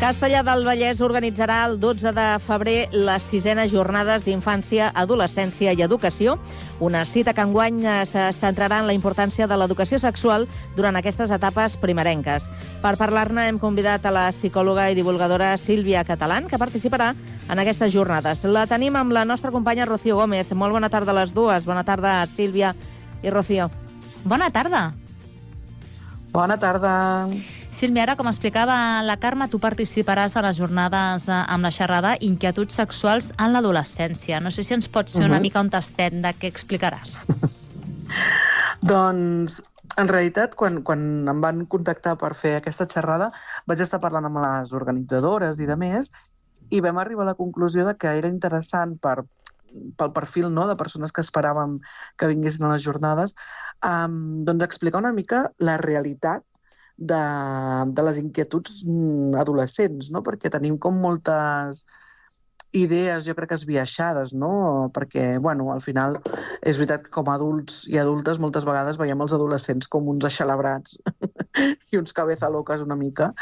Castellar del Vallès organitzarà el 12 de febrer les 6enes jornades d'infància, adolescència i educació, una cita que enguany se centrarà en la importància de l'educació sexual durant aquestes etapes primerenques. Per parlar-ne hem convidat a la psicòloga i divulgadora Sílvia Catalán, que participarà en aquestes jornades. La tenim amb la nostra companya Rocío Gómez. Molt bona tarda a les dues. Bona tarda, Sílvia i Rocío. Bona tarda. Bona tarda. Sílvia, ara, com explicava la Carme, tu participaràs a les jornades amb la xerrada Inquietuds sexuals en l'adolescència. No sé si ens pots fer una mica un tastet de què explicaràs. Doncs, en realitat, quan em van contactar per fer aquesta xerrada, vaig estar parlant amb les organitzadores i de més, i vam arribar a la conclusió de que era interessant pel perfil, no, de persones que esperàvem que vinguessin a les jornades, doncs explicar una mica la realitat de les inquietuds adolescents, no? Perquè tenim com moltes idees, jo crec que esbiaixades, no? Perquè, bueno, al final és veritat que com a adults i adultes moltes vegades veiem els adolescents com uns eixelebrats i uns cabeza locas una mica.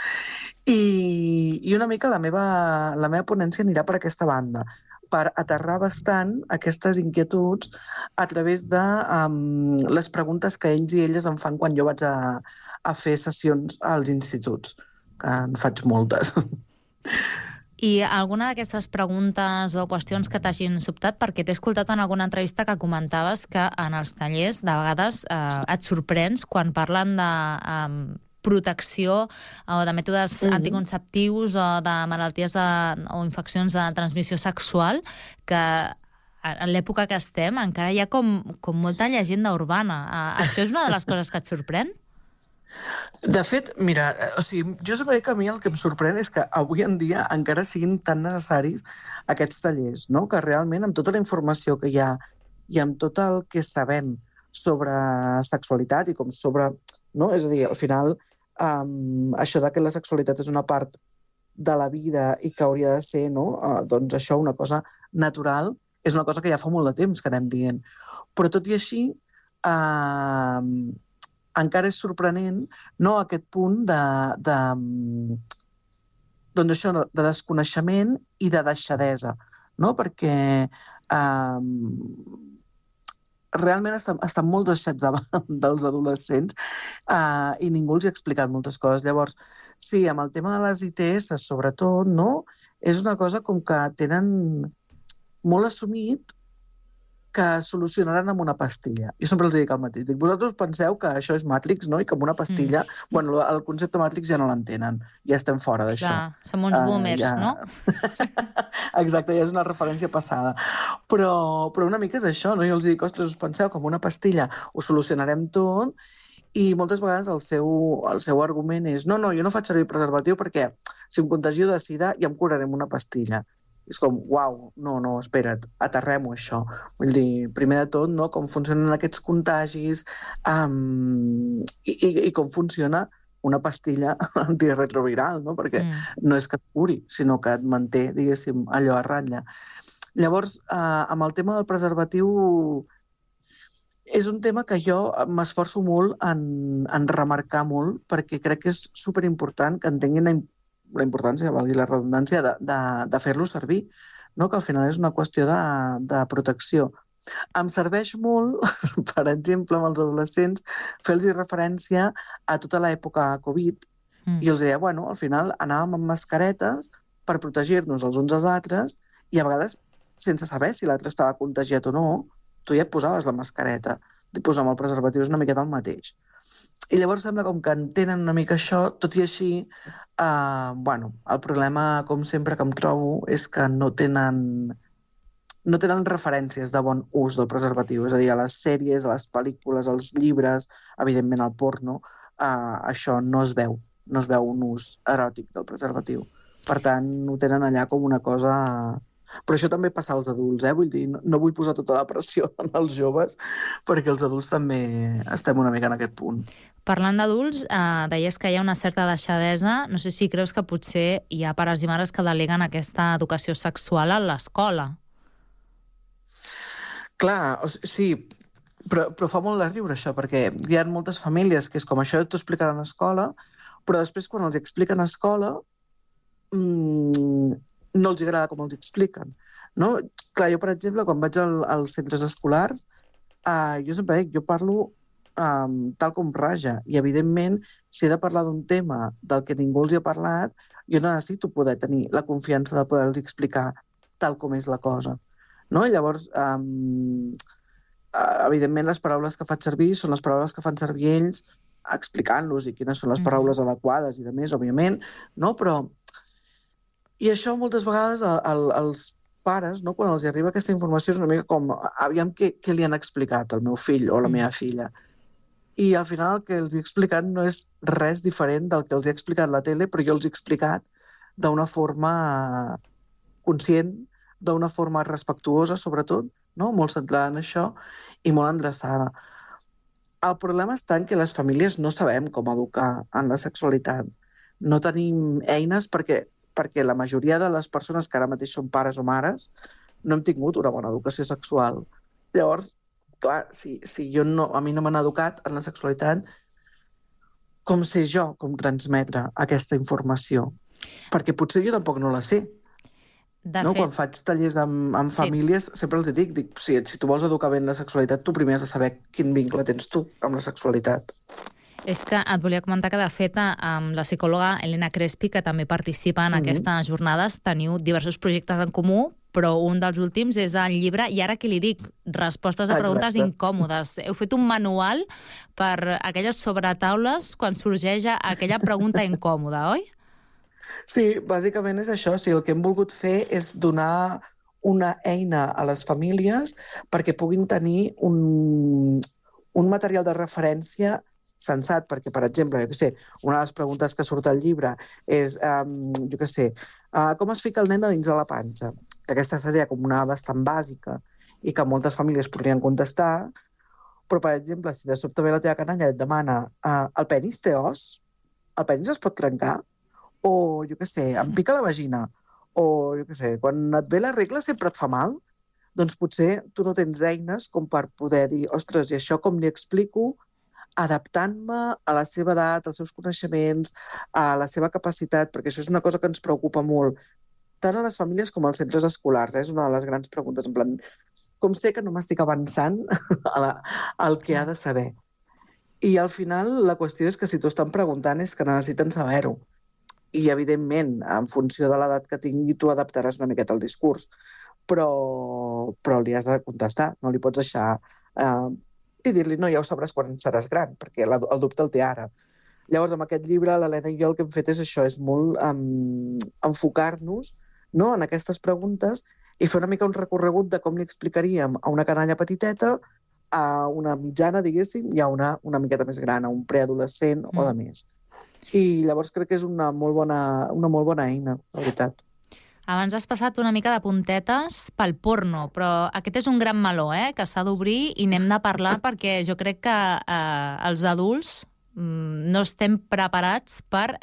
I una mica la meva ponència anirà per aquesta banda, per aterrar bastant aquestes inquietuds a través de les preguntes que ells i elles em fan quan jo vaig a fer sessions als instituts, que en faig moltes. I alguna d'aquestes preguntes o qüestions que t'hagin sobtat, perquè t'he escoltat en alguna entrevista que comentaves que en els tallers de vegades et sorprens quan parlen de protecció o de mètodes anticonceptius o de malalties o infeccions de transmissió sexual, que en l'època que estem encara hi ha com molta llegenda urbana. Això és una de les coses que et sorprèn? De fet, mira, jo sempre dic que a mi el que em sorprèn és que avui en dia encara siguin tan necessaris aquests tallers, no? Que realment amb tota la informació que hi ha i amb tot el que sabem sobre sexualitat i com sobre... No? És a dir, al final, això de que la sexualitat és una part de la vida i que hauria de ser, no? Doncs això, una cosa natural, és una cosa que ja fa molt de temps que anem dient. Però tot i així, encara és sorprenent, no, aquest punt doncs això, de desconeixement i de deixadesa, no? Perquè realment estan molt deixats davant dels adolescents i ningú els ha explicat moltes coses. Llavors, sí, amb el tema de les ITS, sobretot, no? És una cosa com que tenen molt assumit que solucionaran amb una pastilla. Jo sempre els dic el mateix. Dic, vosaltres penseu que això és Matrix, no? I que amb una pastilla... Bueno, el concepte Matrix ja no l'entenen. Ja estem fora d'això. Clar, som uns boomers, no? Exacte, ja és una referència passada. Però una mica és això, no? Jo els dic, ostres, us penseu que amb una pastilla ho solucionarem tot, i moltes vegades el seu argument és no, jo no faig servir preservatiu perquè si em contagio de sida ja em curaré amb una pastilla. És com, uau, no, espera't, aterrem-ho, això. Vull dir, primer de tot, no, com funcionen aquests contagis i com funciona una pastilla antirretroviral, no? Perquè no és que et curi, sinó que et manté, diguéssim, allò a ratlla. Llavors, amb el tema del preservatiu, és un tema que jo m'esforço molt en remarcar molt, perquè crec que és superimportant que entenguin la importància, valgui la redundància, de fer-lo servir, no? Que al final és una qüestió de protecció. Em serveix molt, per exemple, amb els adolescents, fer-los referència a tota l'època Covid, i els deia, bueno, al final anàvem amb mascaretes per protegir-nos els uns als altres, i a vegades, sense saber si l'altre estava contagiat o no, tu ja et posaves la mascareta. Posar amb el preservatiu és una miqueta el mateix. I llavors sembla com que entenen una mica això, tot i així, el problema, com sempre, que em trobo és que no tenen referències de bon ús del preservatiu. És a dir, a les sèries, a les pel·lícules, als llibres, evidentment al porno, això no es veu un ús eròtic del preservatiu. Per tant, ho tenen allà com una cosa... Però això també passa als adults, vull dir, no vull posar tota la pressió en els joves, perquè els adults també estem una mica en aquest punt. Parlant d'adults, deies que hi ha una certa deixadesa. No sé si creus que potser hi ha pares i mares que deleguen aquesta educació sexual a l'escola. Clar, sí, però fa molt de riure això, perquè hi ha moltes famílies que és com això t'ho explicaran a escola, però després quan els expliquen a escola no els agrada com els expliquen. No? Clar, jo, per exemple, quan vaig als centres escolars, jo sempre dic, jo parlo tal com raja, i evidentment, si he de parlar d'un tema del que ningú els hi ha parlat, jo necessito poder tenir la confiança de poder-los explicar tal com és la cosa. No? I llavors, evidentment, les paraules que faig servir són les paraules que fan servir ells, explicant-los i quines són les paraules adequades i de més, òbviament, no? Però... I això moltes vegades els pares, no, quan els arriba aquesta informació, és una mica com, aviam què li han explicat al meu fill o a la meva filla. I al final el que els he explicat no és res diferent del que els he explicat a la tele, però jo els he explicat d'una forma conscient, d'una forma respectuosa, sobretot, no? Molt centrada en això i molt endreçada. El problema està en que les famílies no sabem com educar en la sexualitat. No tenim eines perquè la majoria de les persones que ara mateix són pares o mares no hem tingut una bona educació sexual. Llavors, clar, si a mi no m'han educat en la sexualitat, com sé jo com transmetre aquesta informació? Perquè potser jo tampoc no la sé. No? Quan faig tallers amb famílies, sempre els dic, si tu vols educar bé en la sexualitat, tu primer has de saber quin vincle tens tu amb la sexualitat. És que et volia comentar que, de fet, amb la psicòloga Elena Crespi, que també participa en aquestes jornades, teniu diversos projectes en comú, però un dels últims és el llibre I ara què li dic? Respostes a preguntes incòmodes. Heu fet un manual per aquelles sobretaules quan sorgeix aquella pregunta incòmoda, oi? Sí, bàsicament és això. El que hem volgut fer és donar una eina a les famílies perquè puguin tenir un material de referència sensat, perquè, per exemple, una de les preguntes que surt al llibre és, com es fica el nen a dins de la panxa? Que aquesta seria com una bastant bàsica i que moltes famílies podrien contestar, però, per exemple, si de sobte ve la teva canalla i et demana el penis té os? El penis es pot trencar? O, em pica la vagina? O, quan et ve la regla sempre et fa mal? Doncs potser tu no tens eines com per poder dir, ostres, i això com li explico adaptant-me a la seva edat, als seus coneixements, a la seva capacitat, perquè això és una cosa que ens preocupa molt, tant a les famílies com als centres escolars. És una de les grans preguntes, en plan, com sé que no m'estic avançant al que ha de saber? I al final la qüestió és que si t'ho estan preguntant és que necessiten saber-ho. I, evidentment, en funció de l'edat que tingui, tu adaptaràs una miqueta el discurs. Però li has de contestar, no li pots deixar... i dir-li, no, ja ho sabràs quan seràs gran, perquè el dubte el té ara. Llavors, amb aquest llibre, l'Helena i jo el que hem fet és això, és molt enfocar-nos en aquestes preguntes i fer una mica un recorregut de com li explicaríem a una canalla petiteta, a una mitjana, diguéssim, i a una miqueta més gran, a un preadolescent o de més. I llavors crec que és una molt bona eina, la veritat. Abans has passat una mica de puntetes pel porno, però aquest és un gran meló, que s'ha d'obrir i n'hem de parlar perquè jo crec que els adults no estem preparats per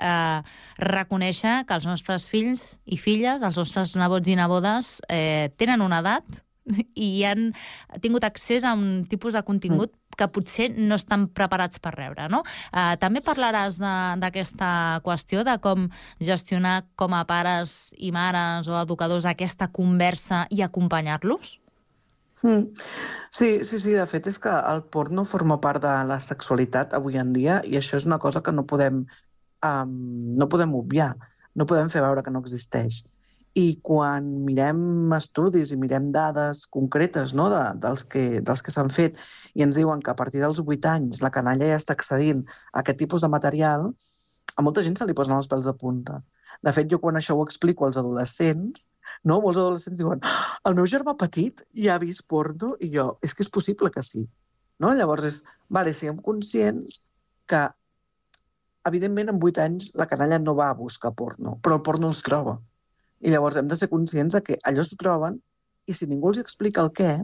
reconèixer que els nostres fills i filles, els nostres nebots i nebodes, tenen una edat i han tingut accés a un tipus de contingut que potser no estan preparats per rebre, no? També parlaràs d'aquesta qüestió, de com gestionar com a pares i mares o educadors aquesta conversa i acompanyar-los? Sí, de fet és que el porno forma part de la sexualitat avui en dia i això és una cosa que no podem obviar, no podem fer veure que no existeix. I quan mirem estudis i mirem dades concretes dels que s'han fet i ens diuen que a partir dels 8 anys la canalla ja està accedint a aquest tipus de material, a molta gent se li posen els pèls de punta. De fet, jo quan això ho explico als adolescents, molts adolescents diuen el meu germà petit ja ha vist porno i jo, és que és possible que sí. Llavors, siguem conscients que evidentment amb 8 anys la canalla no va a buscar porno, però el porno els troba. I llavors hem de ser conscients que allò s'ho troben i si ningú els explica el què,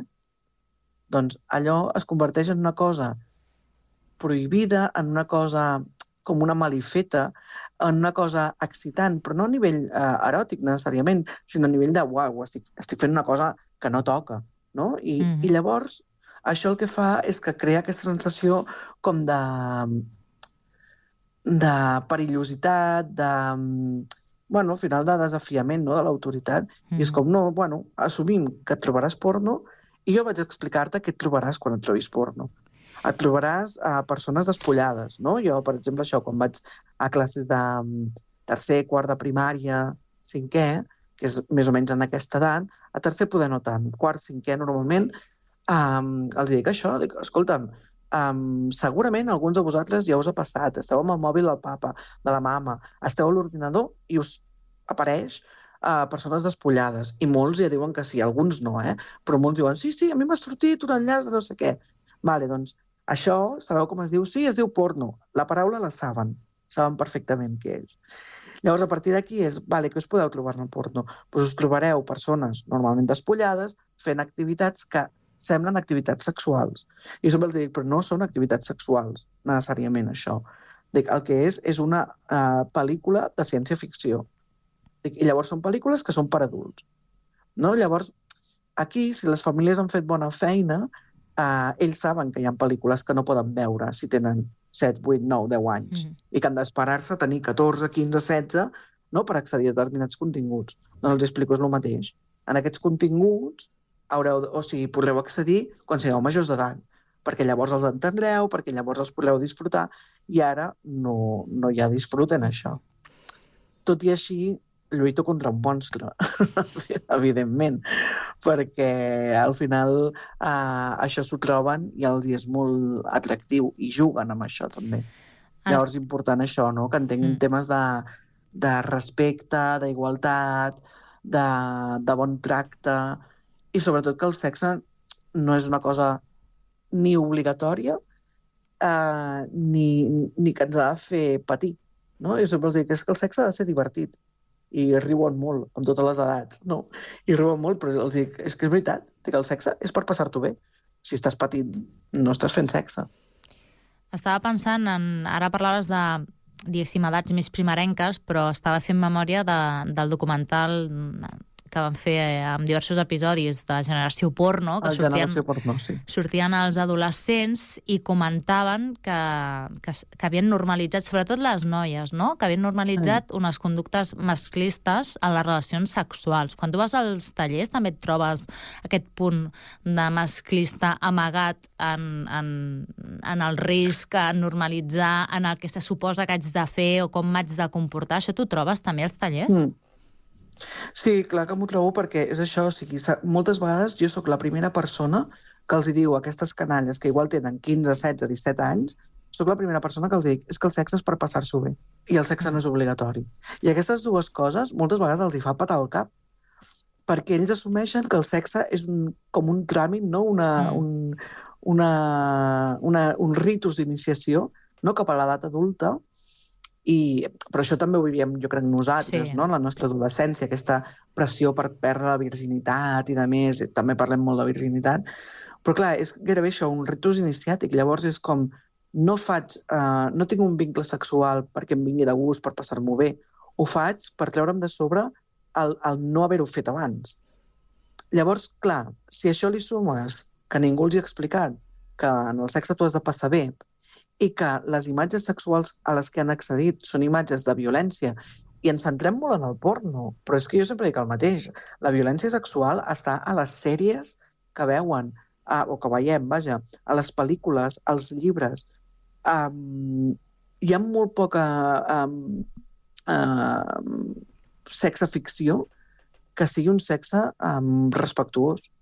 doncs allò es converteix en una cosa prohibida, en una cosa com una malifeta, en una cosa excitant, però no a nivell eròtic necessàriament, sinó a nivell de uau, estic fent una cosa que no toca. No? I llavors això el que fa és que crea aquesta sensació com de perillositat, al final de desafiament, no?, de l'autoritat. I és com, no, assumim que et trobaràs porno i jo vaig explicar-te què et trobaràs quan et trobis porno. Et trobaràs persones despullades, no? Jo, per exemple, això, quan vaig a classes de tercer, quart de primària, cinquè, que és més o menys en aquesta edat, a tercer poder no tant, quart, cinquè, normalment, els dic això, dic, escolta'm, segurament alguns de vosaltres ja us ha passat, esteu amb el mòbil del papa, de la mama, esteu a l'ordinador i us apareix persones despullades, i molts ja diuen que sí, alguns no, però molts diuen, sí, a mi m'ha sortit un enllaç de no sé què. Vale, doncs, això, sabeu com es diu? Sí, es diu porno. La paraula la saben perfectament què és. Llavors, a partir d'aquí és, vale, què us podeu trobar en el porno? Doncs us trobareu persones normalment despullades fent activitats que semblen activitats sexuals. I jo sempre els dic, però no són activitats sexuals, necessàriament, això. Dic, el que és una pel·lícula de ciència-ficció. I llavors són pel·lícules que són per adults. No? Llavors, aquí, si les famílies han fet bona feina, ells saben que hi ha pel·lícules que no poden veure si tenen 7, 8, 9, 10 anys i que han d'esperar-se a tenir 14, 15, 16 no, per accedir a determinats continguts. Doncs els explico, és el mateix. En aquests continguts podreu accedir quan sigueu majors d'edat, perquè llavors els entendreu, perquè llavors els podreu disfrutar, i ara no hi ha disfrut en això. Tot i així, lluito contra un monstre, evidentment, perquè al final això s'ho troben i els és molt atractiu i juguen amb això també. Llavors és important això, no? Que entenguin temes de respecte, d'igualtat, de bon tracte i sobretot que el sexe no és una cosa ni obligatòria ni que ens ha de fer patir. No? Jo sempre els dic que el sexe ha de ser divertit. I riuen molt, amb totes les edats, no? I riuen molt, però els dic, és que és veritat, que el sexe és per passar-t'ho bé. Si estàs patint, no estàs fent sexe. Estava pensant ara parlaves de, diguéssim, edats més primerenques, però estava fent memòria del documental que van fer amb diversos episodis de Generació Porno, que sortien els adolescents i comentaven que havien normalitzat, sobretot les noies, no? Que havien normalitzat unes conductes masclistes en les relacions sexuals. Quan tu vas als tallers també et trobes aquest punt de masclista amagat en el risc, en normalitzar, en el que se suposa que haig de fer o com m'haig de comportar. Això t'ho trobes també als tallers? Sí, clar que m'ho trobo perquè és això, o sigui, moltes vegades jo sóc la primera persona que els diu a aquestes canalles que igual tenen 15, 16, 17 anys, sóc la primera persona que els dic és que el sexe és per passar-s'ho bé i el sexe no és obligatori. I aquestes dues coses moltes vegades els hi fa patar el cap perquè ells assumeixen que el sexe és com un tràmit, no? Un ritus d'iniciació, no? Cap a l'edat adulta. Però això també ho vivíem, jo crec, nosaltres, no? En la nostra adolescència, aquesta pressió per perdre la virginitat i de més, també parlem molt de virginitat, però clar, és gairebé això, un ritus iniciàtic, llavors és com, no tinc un vincle sexual perquè em vingui de gust, per passar-m'ho bé, ho faig per treure'm de sobre el no haver-ho fet abans. Llavors, clar, si això li sumes que ningú els hi ha explicat que en el sexe tu has de passar bé, i que les imatges sexuals a les que han accedit són imatges de violència, i ens centrem molt en el porno, però és que jo sempre dic el mateix. La violència sexual està a les sèries que veuen, o que veiem, vaja, a les pel·lícules, als llibres. Hi ha molt poca sexe ficció que sigui un sexe respectuós.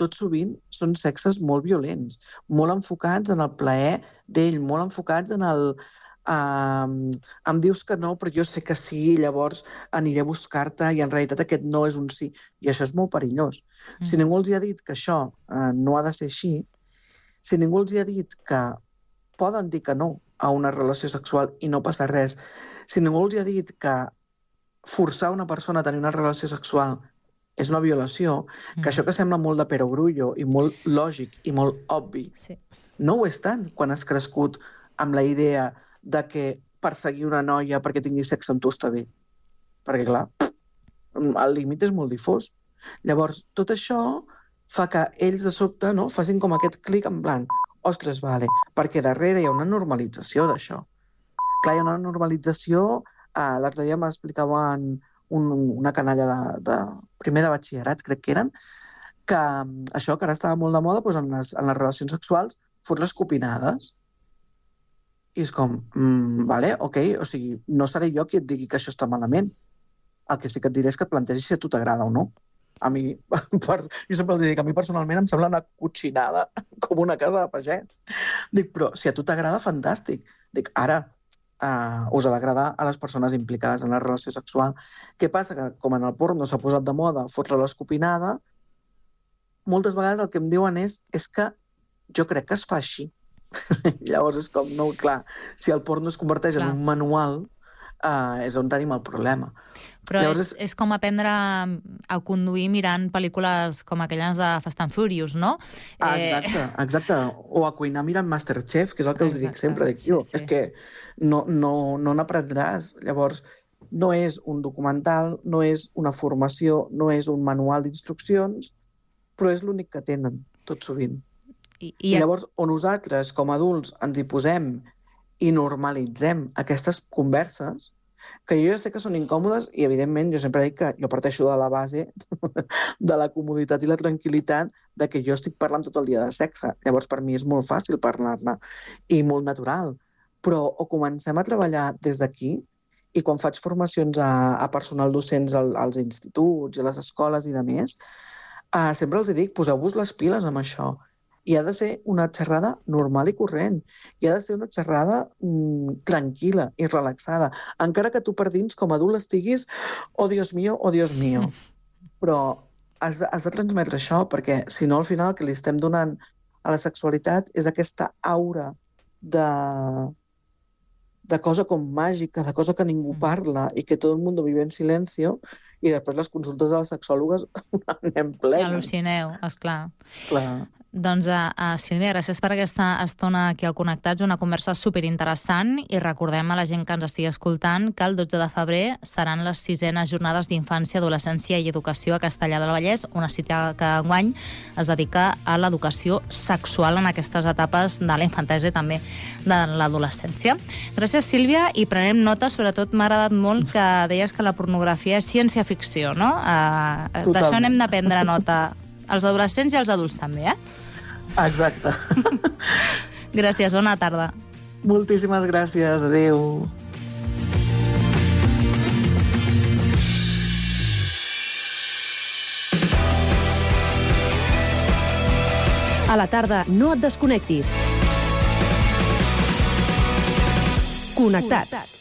Tot sovint són sexes molt violents, molt enfocats en el plaer d'ell, molt enfocats en el em dius que no, però jo sé que sí, llavors aniré a buscar-te i en realitat aquest no és un sí. I això és molt perillós. Si ningú els ha dit que això no ha de ser així, si ningú els ha dit que poden dir que no a una relació sexual i no passa res, si ningú els ha dit que forçar una persona a tenir una relació sexual és una violació, que això que sembla molt de perogrullo i molt lògic i molt obvi, no ho és tant quan has crescut amb la idea de que perseguir una noia perquè tingui sexe amb tu està bé. Perquè, clar, el límit és molt difós. Llavors, tot això fa que ells de sobte facin com aquest clic en plan, ostres, vale, perquè darrere hi ha una normalització d'això. Clar, hi ha una normalització, l'altre dia m'explicaven una canalla de primer de batxillerat, crec que eren, que això, que ara estava molt de moda, en les relacions sexuals, fot-les copinades. I és com, vale, ok, o sigui, no seré jo qui et digui que això està malament. El que sí que et diré és que et plantegis si a tu t'agrada o no. A mi, jo sempre els dic que a mi personalment em sembla una cotxinada com una casa de pagès. Dic, però si a tu t'agrada, fantàstic. Dic, ara us ha d'agradar a les persones implicades en la relació sexual. Què passa? Que com en el porno s'ha posat de moda fotre l'escopinada, moltes vegades el que em diuen és que jo crec que es fa així. Llavors és com, no, clar, si el porno es converteix en un manual, és on tenim el problema. Però llavors és com aprendre a conduir mirant pel·lícules com aquelles de Fast and Furious, no? Exacte. O a cuinar mirant Masterchef, que és el que els dic sempre. Dic, és que no n'aprendràs. Llavors, no és un documental, no és una formació, no és un manual d'instruccions, però és l'únic que tenen, tot sovint. I llavors, on nosaltres, com a adults, ens hi posem i normalitzem aquestes converses, que jo ja sé que són incòmodes i, evidentment, jo sempre dic que jo parteixo de la base de la comoditat i la tranquil·litat de que jo estic parlant tot el dia de sexe. Llavors, per mi és molt fàcil parlar-ne i molt natural. Però o comencem a treballar des d'aquí i quan faig formacions a personal docents als instituts i a les escoles i de més, sempre els dic, poseu-vos les piles amb això. I ha de ser una xerrada normal i corrent. I ha de ser una xerrada tranquil·la i relaxada. Encara que tu per dins, com a adult, estiguis oh, Dios mío, oh, Dios mío. Però has de transmetre això, perquè si no, al final, el que li estem donant a la sexualitat és aquesta aura de cosa com màgica, de cosa que ningú parla i que tot el món vive en silencio, i després les consultes de les sexòlogues anem plenes. Al·lucineu, esclar. Clar. Doncs, Sílvia, gràcies per aquesta estona aquí al Connectats, una conversa superinteressant, i recordem a la gent que ens estigui escoltant que el 12 de febrer seran les 6enes jornades d'infància, adolescència i educació a Castellar del Vallès, una cita que enguany es dedica a l'educació sexual en aquestes etapes de la infantesa i també de l'adolescència. Gràcies, Sílvia, i prenem nota, sobretot m'ha agradat molt que deies que la pornografia és ciència-ficció, no? D'això n'hem de prendre nota, els adolescents i els adults també, Exacte. Gràcies, bona tarda. Moltíssimes gràcies, adéu. A la tarda no et desconnectis. Connectats.